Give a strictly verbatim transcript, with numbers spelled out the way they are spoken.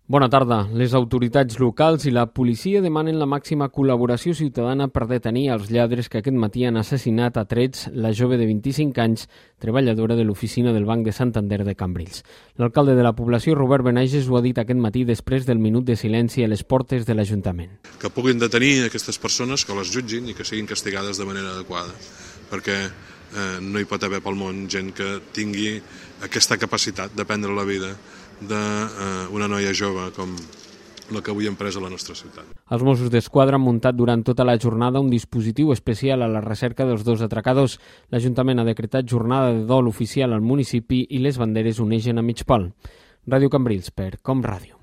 Bona tarda. Les autoritats locals i la policia demanen la màxima col·laboració ciutadana per detenir els lladres que aquest matí han assassinat a trets la jove de vint-i-cinc anys, treballadora de l'oficina del Banc de Santander de Cambrils. L'alcalde de la població, Robert Benages, ho ha dit aquest matí després del minut de silenci a les portes de l'Ajuntament. Que puguin detenir aquestes persones, que les jutgin i que siguin castigades de manera adequada, perquè eh, no hi pot haver pel món gent que tingui aquesta capacitat de prendre la vida d'una noia jove com la que avui hem pres a la nostra ciutat. Els Mossos d'Esquadra han muntat durant tota la jornada un dispositiu especial a la recerca dels dos atracadors. L'Ajuntament ha decretat jornada de dol oficial al municipi i les banderes onegen a mig pal. Ràdio Cambrils per Com Ràdio.